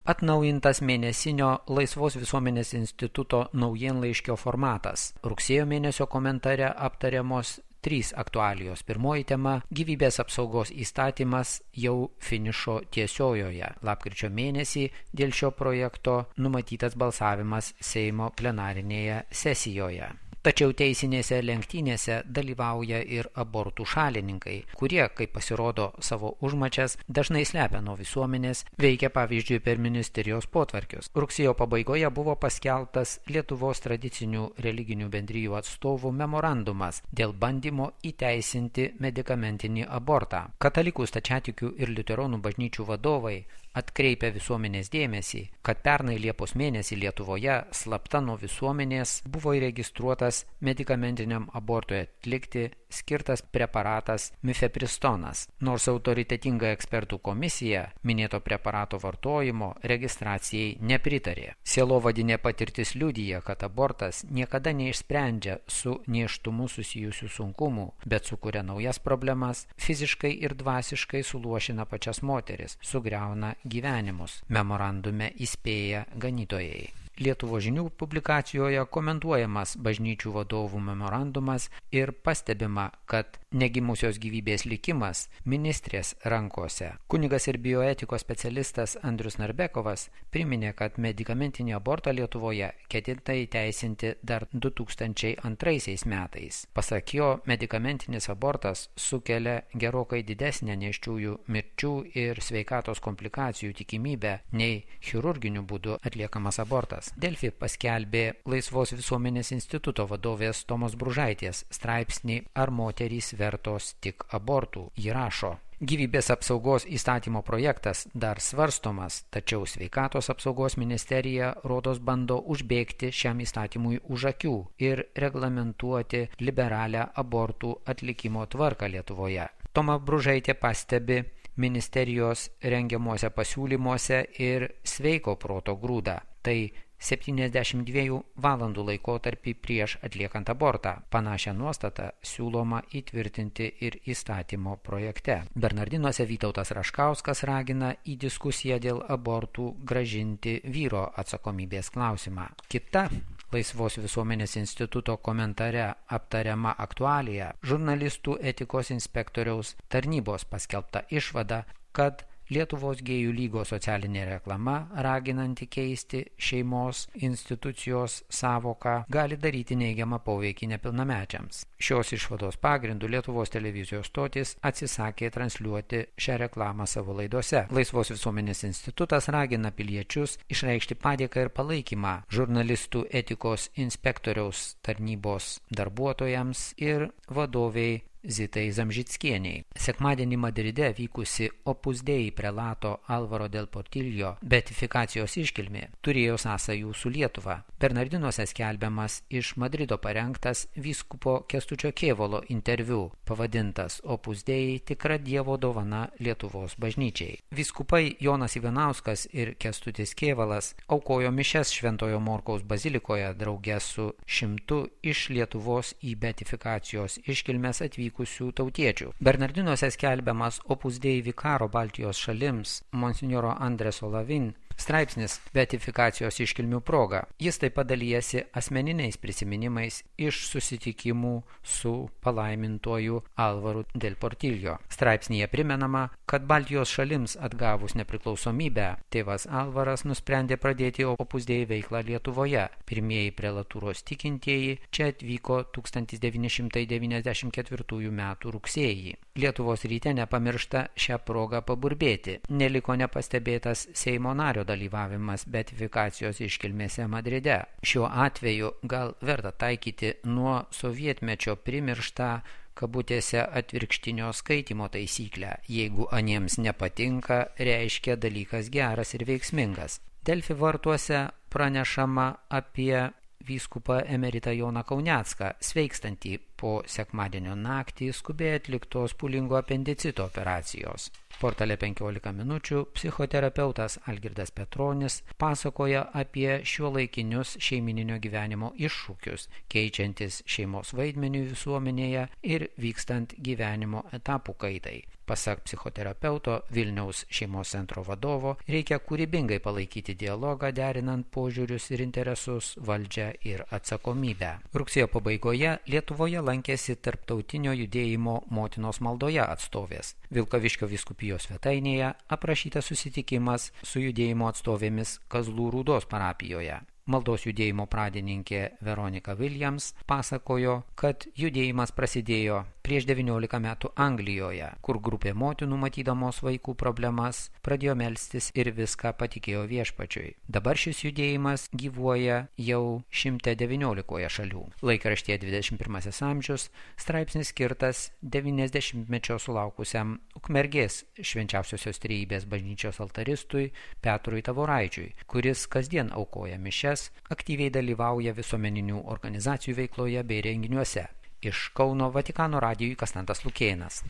Atnaujintas mėnesinio Laisvos visuomenės instituto naujienlaiškio formatas. Rugsėjo mėnesio komentare aptariamos 3 aktualijos. Pirmoji tema – gyvybės apsaugos įstatymas jau finišo tiesiojoje. Lapkričio mėnesį dėl šio projekto numatytas balsavimas Seimo plenarinėje sesijoje. Tačiau teisinėse lenktynėse dalyvauja ir abortų šalininkai, kurie, kaip pasirodo savo užmačias, dažnai slepia nuo visuomenės, veikia pavyzdžiui per ministerijos potvarkius. Rugsėjo pabaigoje buvo paskelbtas Lietuvos tradicinių religinių bendrijų atstovų memorandumas dėl bandymo įteisinti medikamentinį abortą. Katalikų, stačiatikių ir liuteronų bažnyčių vadovai atkreipia visuomenės dėmesį, kad pernai Liepos mėnesį Lietuvoje slapta nuo visuomenės buvo įregistruotas medikamentiniam abortui atlikti skirtas preparatas mifepristonas, nors autoritetinga ekspertų komisija minėto preparato vartojimo registracijai nepritarė. Sielovadinė patirtis liudija, kad abortas niekada neišsprendžia su nėštumu susijusių sunkumų, bet sukuria naujas problemas, fiziškai ir dvasiškai suluošina pačias moteris, sugriauna gyvenimus, memorandume įspėja ganytojai. Lietuvos žinių publikacijoje komentuojamas bažnyčių vadovų memorandumas ir pastebima, kad negimusios gyvybės likimas ministrės rankose. Kunigas ir bioetikos specialistas Andrius Narbekovas priminė, kad medikamentinį abortą Lietuvoje ketinta įteisinti dar 2002 metais. Pasak jo, medikamentinis abortas sukelia gerokai didesnę nėščiųjų mirčių ir sveikatos komplikacijų tikimybę nei chirurginiu būdu atliekamas abortas. Delfi paskelbė Laisvos visuomenės instituto vadovės Tomos Bružaitės straipsnį "Ar moterys vertos tik abortų?" Ji rašo: Gyvybės apsaugos įstatymo projektas dar svarstomas, tačiau sveikatos apsaugos ministerija rodos bando užbėgti šiam įstatymui už akių ir reglamentuoti liberalią abortų atlikimo tvarką Lietuvoje. Toma Bružaitė pastebi ministerijos rengiamuose pasiūlymuose ir sveiko proto grūdą. Tai 72 valandų laikotarpį prieš atliekant abortą. Panašią nuostatą siūloma įtvirtinti ir įstatymo projekte. Bernardinuose Vytautas Raškauskas ragina į diskusiją dėl abortų grąžinti vyro atsakomybės klausimą. Kita Laisvos visuomenės instituto komentare aptariama aktualija – žurnalistų etikos inspektoriaus tarnybos paskelbta išvada, kad Lietuvos gėjų lygos socialinė reklama, raginanti keisti šeimos institucijos savoką, gali daryti neigiamą poveikį nepilnamečiams. Šios išvados pagrindų Lietuvos televizijos stotis atsisakė transliuoti šią reklamą savo laidose. Laisvos visuomenės institutas ragina piliečius išreikšti padėką ir palaikymą žurnalistų etikos inspektoriaus tarnybos darbuotojams ir vadoviai Zitai Zamžickieniai. Sekmadienį Madride vykusi Opus Dei prelato Alvaro del Portillo beatifikacijos iškilmė turėjo sąsajų su Lietuva. Bernardinuose skelbiamas iš Madrido parengtas vyskupo Kęstučio Kėvalo interviu, pavadintas Opus Dei tikra Dievo dovana Lietuvos bažnyčiai. Vyskupai Jonas Ivanauskas ir Kęstutis Kėvalas aukojo mišias Šventojo Morkaus bazilikoje drauge su 100 iš Lietuvos į beatifikacijos iškilmes atvykusių tautiečių. Bernardinuose skelbiamas Opus Dei vikaro Baltijos šalims monsinjoro Andreso Lavin straipsnis beatifikacijos iškilmių proga. Jis taip pat dalijasi asmeniniais prisiminimais iš susitikimų su palaimintuoju Alvaru del Portillo. Straipsnyje primenama, kad Baltijos šalims atgavus nepriklausomybę, tėvas Alvaras nusprendė pradėti Opus Dei veiklą Lietuvoje. Pirmieji prelatūros tikintieji čia atvyko 1994 metų rugsėjį. Lietuvos ryte nepamiršta šią progą paburbėti. Neliko nepastebėtas Seimo nario dalyvavimas beatifikacijos iškilmėse Madride. Šiuo atveju gal verta taikyti nuo sovietmečio primirštą kabutėse atvirkštinio skaitymo taisyklę. Jeigu aniems nepatinka, reiškia dalykas geras ir veiksmingas. Delfi vartuose pranešama apie vyskupą emeritą Joną Kaunecką, sveikstantį po sekmadienio naktį skubiai atliktos pūlingo apendicito operacijos. Portale 15 minučių psichoterapeutas Algirdas Petronis pasakoja apie šiuolaikinius šeimininio gyvenimo iššūkius, keičiantis šeimos vaidmeniui visuomenėje ir vykstant gyvenimo etapų kaitai. Pasak psichoterapeuto Vilniaus šeimos centro vadovo, reikia kūrybingai palaikyti dialogą, derinant požiūrius ir interesus, valdžią ir atsakomybę. Rugsėjo pabaigoje Lietuvoje lankėsi Tarptautinio judėjimo motinos maldoje atstovės. Vilkaviškio vyskupijos svetainėje aprašytas susitikimas su judėjimo atstovėmis Kazlų Rūdos parapijoje. Maldos judėjimo pradininkė Veronika Williams pasakojo, kad judėjimas prasidėjo prieš 19 metų Anglijoje, kur grupė motinų matydamos vaikų problemas pradėjo melstis ir viską patikėjo Viešpačiui. Dabar šis judėjimas gyvuoja jau 119 šalių. Laikraštyje 21 amžius straipsnis skirtas 90-mečio sulaukusiam Ukmergės Švenčiausiosios Trejybės bažnyčios altaristui Petrui Tavoraičiui, kuris kasdien aukoja mišias, aktyviai dalyvauja visuomeninių organizacijų veikloje bei renginiuose. Iš Kauno Vatikano radijui Konstantas Lukėnas.